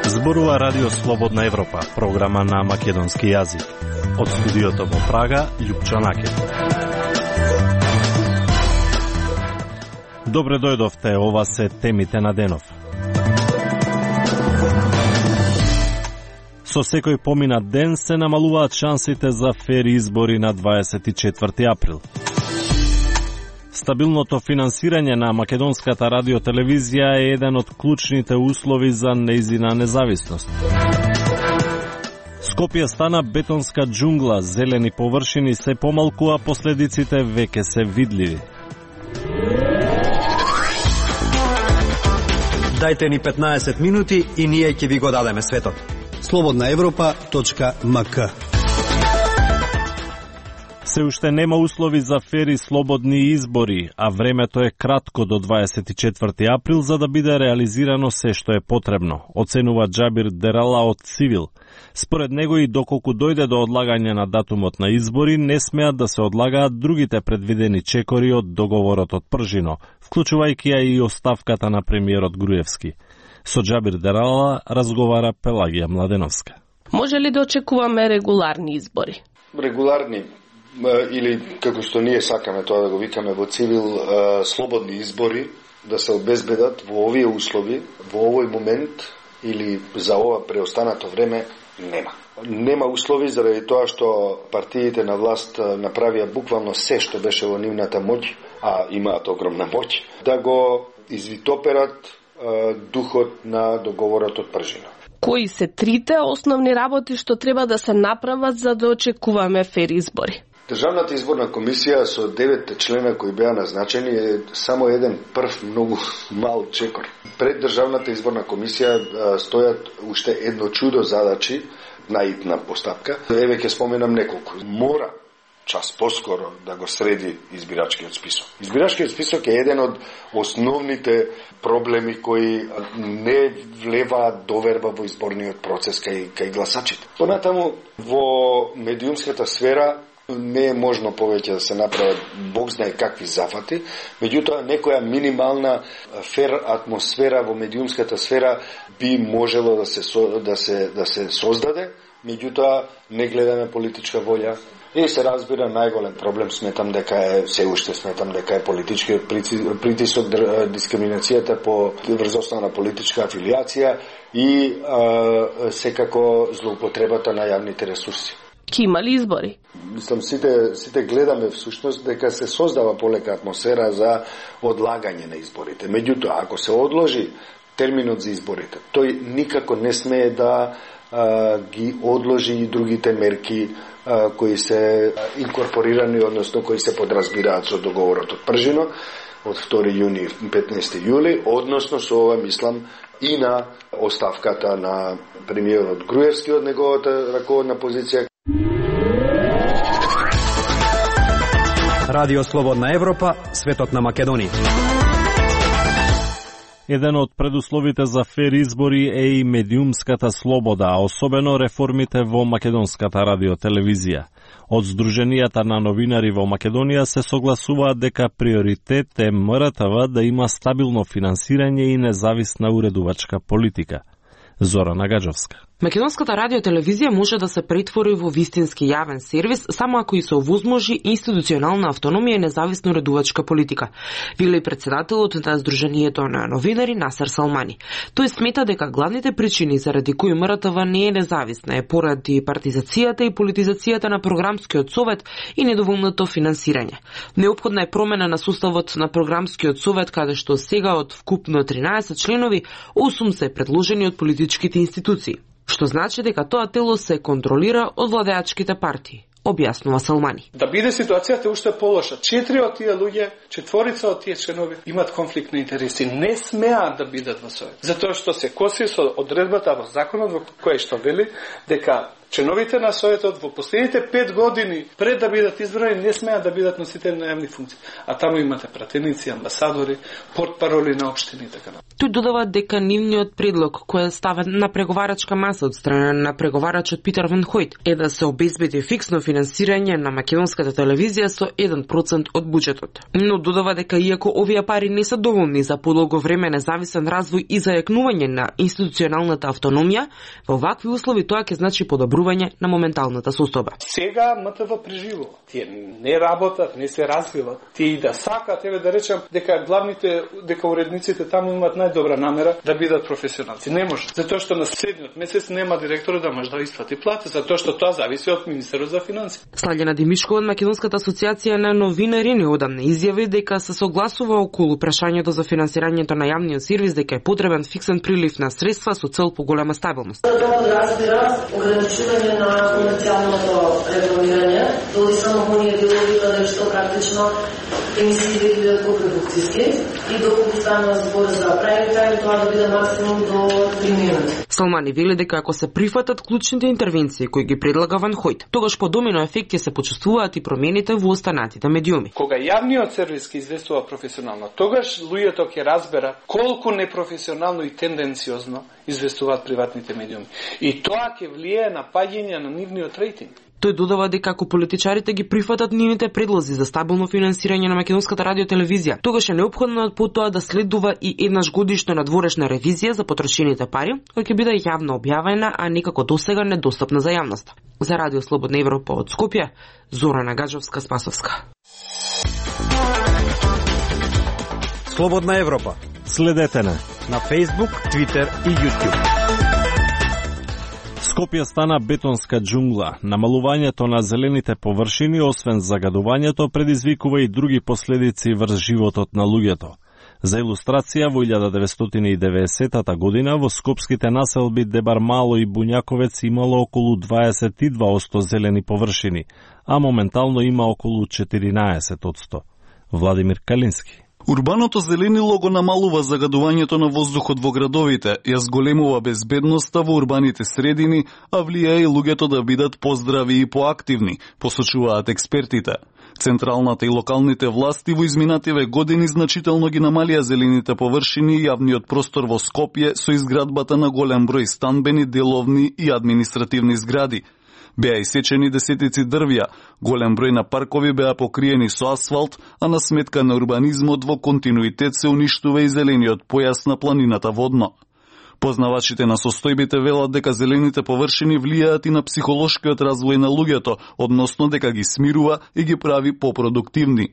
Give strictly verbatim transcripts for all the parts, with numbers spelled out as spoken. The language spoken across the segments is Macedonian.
Зборува Радио Слободна Европа, програма на македонски јазик. Од студиото во Прага, Љупчо Накет. Добре дојдовте, ова се темите на денов. Со секој поминат ден се намалуваат шансите за фер избори на дваесет и четврти април. Стабилното финансирање на македонската радиотелевизија е еден од клучните услови за нејзина независност. Скопје стана бетонска џунгла, зелени површини се помалку, а последиците веќе се видливи. Дајте ни петнаесет минути и ние ќе ви го дадеме светот. слободна европа точка ем ка. Се уште нема услови за фери слободни избори, а времето е кратко до дваесет и четврти април за да биде реализирано се што е потребно, оценува Џабир Дерала од Цивил. Според него и доколку дојде до одлагање на датумот на избори, не смеат да се одлагаат другите предвидени чекори од договорот од Пржино, вклучувајќи ја и оставката на премиерот Груевски. Со Џабир Дерала разговара Пелагија Младеновска. Може ли да очекуваме регуларни избори? Регуларни или како што ние сакаме тоа да го викаме во Цивил, слободни избори да се обезбедат во овие услови, во овој момент или за ова преостанато време нема. Нема услови заради тоа што партиите на власт направија буквално се што беше во нивната моќ, а имаат огромна моќ, да го извитоперат духот на договорот од Пржино. Кои се трите основни работи што треба да се направат за да очекуваме фер избори? Државната изборна комисија со девет члена кои беа назначени е само еден прв многу мал чекор. Пред Државната изборна комисија стојат уште едно чудо задачи, наидна постапка. Еве ќе споменам неколку. Мора час поскоро да го среди избирачкиот список. Избирачкиот список е еден од основните проблеми кои не влеваат доверба во изборниот процес кај, кај гласачите. Понатаму, во медиумската сфера не е можно повеќе да се направат бог знае какви зафати, меѓутоа некоја минимална фер атмосфера во медиумската сфера би можело да се да се да се создаде, меѓутоа не гледаме политичка волја. И се разбира, најголем проблем сметам дека е, се уште сметам дека е политичкиот притисок, дискриминацијата по врз основа на политичка афилиација и а, секако злоупотребата на јавните ресурси. Ки има ли избори? Мислам, сите, сите гледаме всушност дека се создава полека атмосфера за одлагање на изборите. Меѓутоа, ако се одложи терминот за изборите, тој никако не смее да а, ги одложи и другите мерки а, кои се инкорпорирани, односно кои се подразбираат со договорот од Пржино од втори јуни и петнаесети јули, односно со ова мислам и на оставката на премиерот Груевски од неговата раководна позиција. Радио Слободна Европа, светот на Македонија. Еден од предусловите за фер избори е и медиумската слобода, а особено реформите во македонската радиотелевизија. Од Сдруженијата на новинари во Македонија се согласуваат дека приоритет е Ем Р Т В да има стабилно финансирање и независна уредувачка политика. Зора Нагаџовска. Македонската радиотелевизија може да се претвори во вистински јавен сервис само ако и се овозможи институционална автономија и независна уредувачка политика, вели и председателот на Сдруженијето на новинари Насер Салмани. Тој смета дека главните причини заради кои Ем Р Т В не е независна е поради партизацијата и политизацијата на програмскиот совет и недоволното финансирање. Неопходна е промена на составот на програмскиот совет, каде што сега од вкупно тринаесет членови, осум се предложени од политичките институции, што значи дека тоа тело се контролира од владеачките партии, објаснува Салмани. Да биде ситуацијата уште полоша. Четири од тие луѓе, четворица од тие членови имаат конфликт на интереси, не смеат да бидат во совет. Затоа што се коси со одредбата во законот во кој што вели дека Членовите на Советот во последните пет години пред да бидат избрани не смеат да бидат носители на јавни функции. А таму имате пратеници, амбасадори, портпароли на општини и така напред. Тој додава дека нивниот предлог кој е ставен на преговарачка маса од страна на преговарачот Питер Ван Хојт е да се обезбеди фиксно финансирање на македонската телевизија со еден процент од буџетот. Но додава дека иако овие пари не се доволни за подолго време независен развој и зајакнување на институционалната автономија, во вакви услови тоа ќе значи подобрување на моменталната состојба. Сега М Т В преживува. Тие не работат, не се развиват. Тие и да сакат, еве да речам, дека главните, дека уредниците таму имаат најдобра намера да бидат професионалци. Не може, затоа што на следниот месец нема директор да може да исплати плата, затоа што тоа зависи од министерот за финансии. Слаѓана Димишкова од Македонската асоциација на новинари неодамна изјави дека се согласува околу прашањето за финансирањето на јавниот сервис, дека е потребен фиксен прилив на средства со цел поголема стабилност. Тоа подразбира ограничување на комерцијалното рекламирање, додека само оние делови каде што практично емисиите бидат копродукцијски и доколку стана збор за прави тај, тоа да биде максимум до три минути. Салмани вели дека ако се прифатат клучните интервенции кои ги предлага Ван Хојт, тогаш по домино ефект ќе се почувствуваат и промените во останатите медиуми. Кога јавниот сервис ќе известува професионално, тогаш луѓето ќе разберат колку непрофесионално и тенденциозно известуваат приватните медиуми. И тоа ќе влијае на паѓање на нивниот рейтинг. Тој додава дека ако политичарите ги прифатат нивните предлози за стабилно финансирање на македонската радиотелевизија, тогаш е неопходно потоа да следува и еднаш годишно надворешна ревизија за потрошените пари, која ќе биде јавно објавена, а некако досега недостапна за јавноста. За Радио Слободна Европа од Скопје, Зорана Гаджовска-Спасовска. Слободна Европа. Следете на на Facebook, Twitter и YouTube. Скопје стана бетонска џунгла. Намалувањето на зелените површини, освен загадувањето, предизвикува и други последици врз животот на луѓето. За илустрација, во илјада деветстотини и деветдесетата година во скопските населби Дебар Мало и Буњаковец имало околу дваесет и два одсто зелени површини, а моментално има околу четиринаесет одсто. Владимир Калински. Урбаното зеленило го намалува загадувањето на воздухот во градовите, ја зголемува безбедноста во урбаните средини, а влијае и луѓето да бидат поздрави и поактивни, посочуваат експертите. Централната и локалните власти во изминативе години значително ги намалија зелените површини и јавниот простор во Скопје со изградбата на голем број станбени, деловни и административни згради. Беа исечени десетици дрвја, голем број на паркови беа покриени со асфалт, а на сметка на урбанизмот во континуитет се уништува и зелениот појас на планината водно. Познавачите на состојбите велат дека зелените површини влијаат и на психолошкиот развој на луѓето, односно дека ги смирува и ги прави попродуктивни.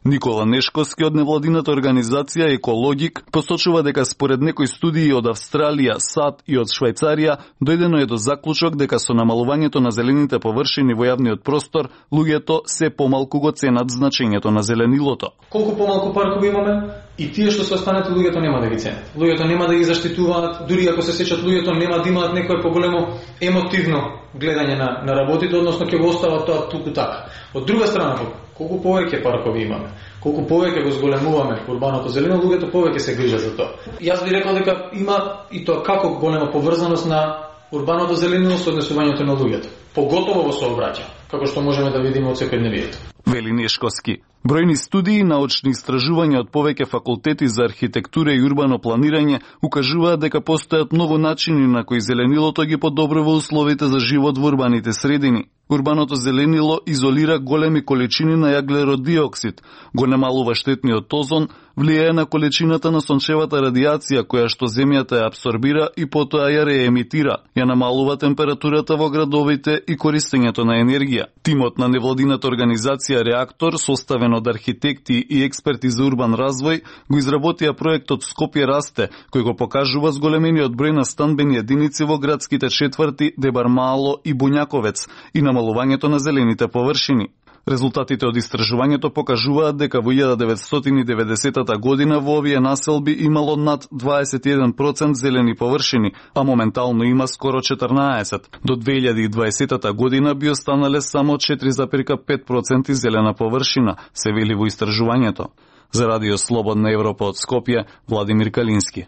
Никола Нешковски од невладината организација Екологик посочува дека според некои студии од Австралија, САД и од Швајцарија дојдено е до заклучок дека со намалувањето на зелените површини во јавниот простор луѓето се помалку го ценат значењето на зеленилото. Колку помалку паркови имаме и тие што се останете луѓето нема да ги ценат. Луѓето нема да ги заштитуваат, дури ако се сеќат луѓето нема да имаат некое поголемо емотивно гледање на на работите, односно ќе го остават тоа туку така. Од друга страна, колку повеќе паркови имаме, колку повеќе го зголемуваме урбаното зелено, луѓето повеќе се грижат за тоа. Јас би рекол дека има и тоа како голема поврзаност на урбаното зелено со однесувањето на луѓето, поготово во сообраќај, како што можеме да видиме од секојдневието. Вели Нешковски. Бројни студии и научни истражувања од повеќе факултети за архитектура и урбано планирање укажуваат дека постојат многу начини на кои зеленилото ги подобрува условите за живот во урбаните средини. Урбаното зеленило изолира големи количини на јаглерод диоксид, го намалува штетниот озон, влијае на количината на сончевата радијација која што земјата ја абсорбира и потоа ја реемитира, ја намалува температурата во градовите и користењето на енергија. Тимот на невладината организација Реактор, составен од архитекти и експерти за урбан развој, го изработија проектот Скопје расте, кој го покажува зголемениот број на станбени единици во градските четврти Дебар Мало и Буњаковец и намалувањето на зелените површини. Резултатите од истражувањето покажуваат дека во илјада деветстотини и деветдесетата година во овие населби имало над дваесет и еден процент зелени површини, а моментално има скоро четрнаесет. До две илјади и дваесетата година би останале само четири зарез пет проценти зелена површина, се вели во истражувањето. За Радио Слободна Европа од Скопје, Владимир Калински.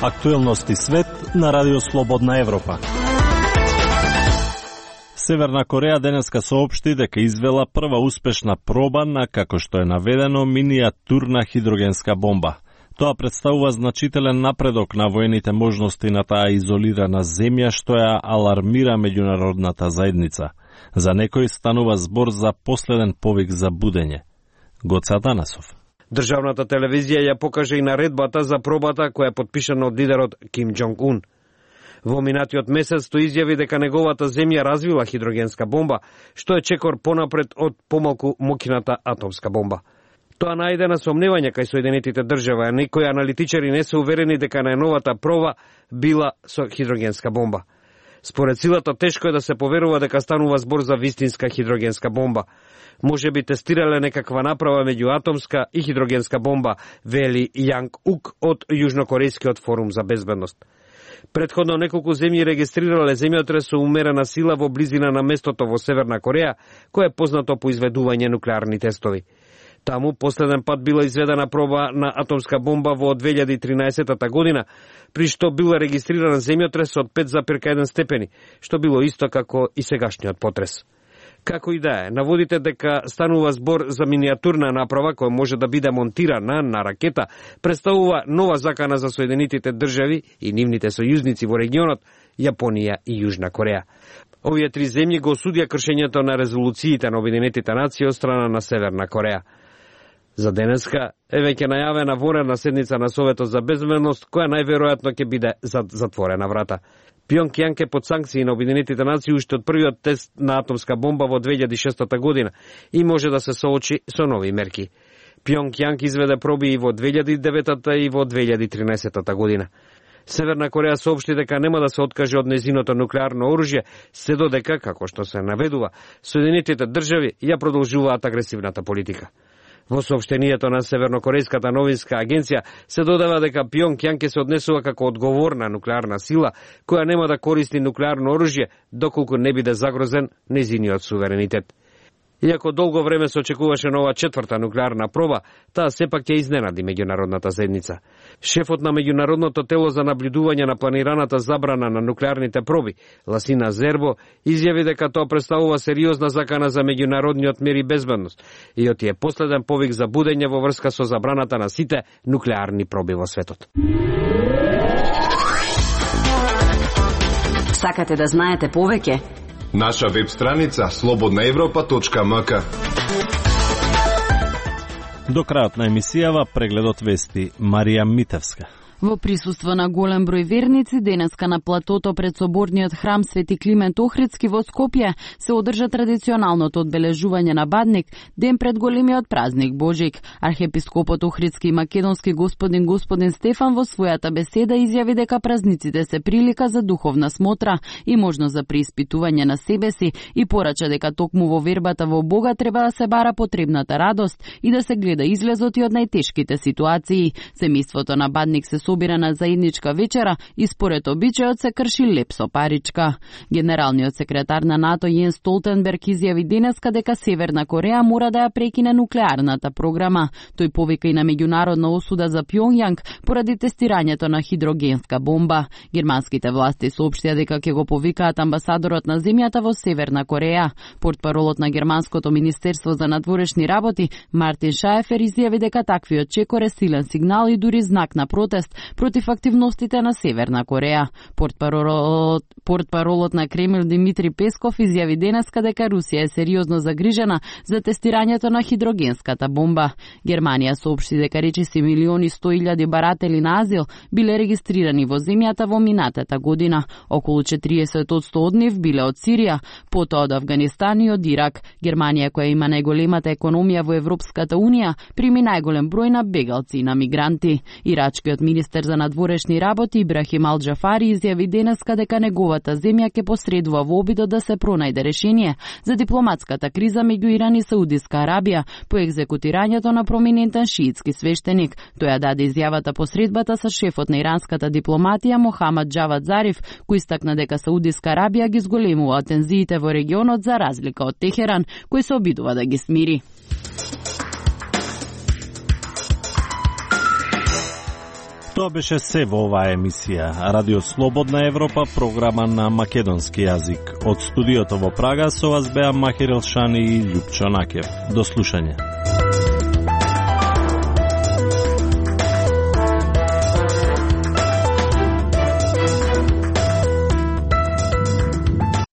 Актуелности свет на Радио Слободна Европа. Северна Кореја денеска соопшти дека извела прва успешна проба на, како што е наведено, миниатурна хидрогенска бомба. Тоа представува значителен напредок на воените можности на таа изолирана земја, што ја алармира меѓународната заедница. За некој станува збор за последен повик за будење. Гоца Данасов. Државната телевизија ја покажа и наредбата за пробата која е подпишана од лидерот Ким Џонг Ун. Во минатиот месец тој изјави дека неговата земја развила хидрогенска бомба, што е чекор понапред од помалку мокината атомска бомба. Тоа најде на сомневање кај Соединетите држави, а некои аналитичари не се уверени дека најновата проба била со хидрогенска бомба. Според силата тешко е да се поверува дека станува збор за вистинска хидрогенска бомба. Може би тестирале некаква направа меѓу атомска и хидрогенска бомба, вели Јанг Ук од Јужнокорејскиот форум за безбедност. Претходно неколку земји регистрирале земјотрес со умерена сила во близина на местото во Северна Кореја, кое е познато по изведување нуклеарни тестови. Таму последен пат била изведена проба на атомска бомба во две илјади и тринаесетта година, при што бил регистриран земјотрес од пет зарез еден степени, што било исто како и сегашниот потрес. Како и да е, наводите дека станува збор за миниатурна направа која може да биде монтирана на ракета, представува нова закана за Соединетите држави и нивните сојузници во регионот, Јапонија и Јужна Кореја. Овие три земји го осудија кршењето на резолуциите на Обединетите нации од страна на Северна Кореја. За денеска е веќе најавена вонредна седница на Советот за безбедност, која најверојатно ќе биде за затворена врата. Пјонг е под санкции на Обединетите нации уште од првиот тест на атомска бомба во две илјади и шеста година и може да се соочи со нови мерки. Пјонг изведе проби и во две илјади и деветта и во две илјади и тринаесетта година. Северна Кореја соопшти дека нема да се откаже од незиното нуклеарно оружје, се додека, како што се наведува, Соединетите држави ја продолжуваат агресивната политика. Во соопштението на Севернокорејската новинска агенција се додава дека Пјонг се однесува како одговорна нуклеарна сила која нема да користи нуклеарно оружје доколку не биде загрозен незиниот суверенитет. Иако долго време се очекуваше нова четврта нуклеарна проба, таа сепак ќе изненади меѓународната заедница. Шефот на меѓународното тело за наблюдување на планираната забрана на нуклеарните проби, Ласина Зербо, изјави дека тоа представува сериозна закана за меѓународниот мир и безбедност и оти е последен повик за будење во врска со забраната на сите нуклеарни проби во светот. Сакате да знаете повеќе? Наша веб страница слободна европа точка м к. До крајот на емисијава прегледот вести Марија Митевска. Во присуство на голем број верници, денеска на платото пред соборниот храм Свети Климент Охридски во Скопје се одржа традиционалното одбележување на Бадник, ден пред големиот празник Божик. Архиепископот Охридски и македонски господин господин Стефан во својата беседа изјави дека празниците се прилика за духовна смотра и можност за преиспитување на себе си и порача дека токму во вербата во Бога треба да се бара потребната радост и да се гледа излезот и од најтешките ситуации. Семејството на Бадник се собира на заедничка вечера и според обичајот се крши леп со паричка. Генералниот секретар на НАТО Јенс Столтенберг изјави денеска дека Северна Кореја мора да ја прекине нуклеарната програма. Тој повика и на меѓународна осуда за Пјонг поради тестирањето на хидрогенска бомба. Германските власти соопштија дека ќе го повикаат амбасадорот на земјата во Северна Кореја. Портпаролот на германското министерство за надворешни работи Мартин Шаефер изјави дека таквиот чекор е силен сигнал и дури знак на протест против активностите на Северна Кореја. Портпаролот, портпаролот на Кремљ Димитри Песков изјави денеска дека Русија е сериозно загрижена за тестирањето на хидрогенската бомба. Германија соопшти дека речиси милиони сто илјади баратели на азил биле регистрирани во земјата во минатата година. Околу четириесет одсто од нив биле од Сирија, потоа од Авганистан и од Ирак. Германија, која има најголемата економија во Европската унија, прими најголем број на бегалци и на мигранти. Ирачкиот министер за надворешни работи Ибрахим Ал Џафари изјави денеска дека неговата земја ќе посредува во обидот да се пронајде решение за дипломатската криза меѓу Иран и Саудиска Арабија по екзекутирањето на проминентен шиитски свештеник. Тој ја даде изјавата по средбата со шефот на иранската дипломатија Мохамад Џавад Зариф, кој истакна дека Саудиска Арабија ги зголемува тензиите во регионот за разлика од Техеран, кој се обидува да ги смири. Тоа беше се во оваа емисија. Радио Слободна Европа, програма на македонски јазик. Од студиото во Прага со вас беа Махир Елшани и Љупчо Накев. До слушање.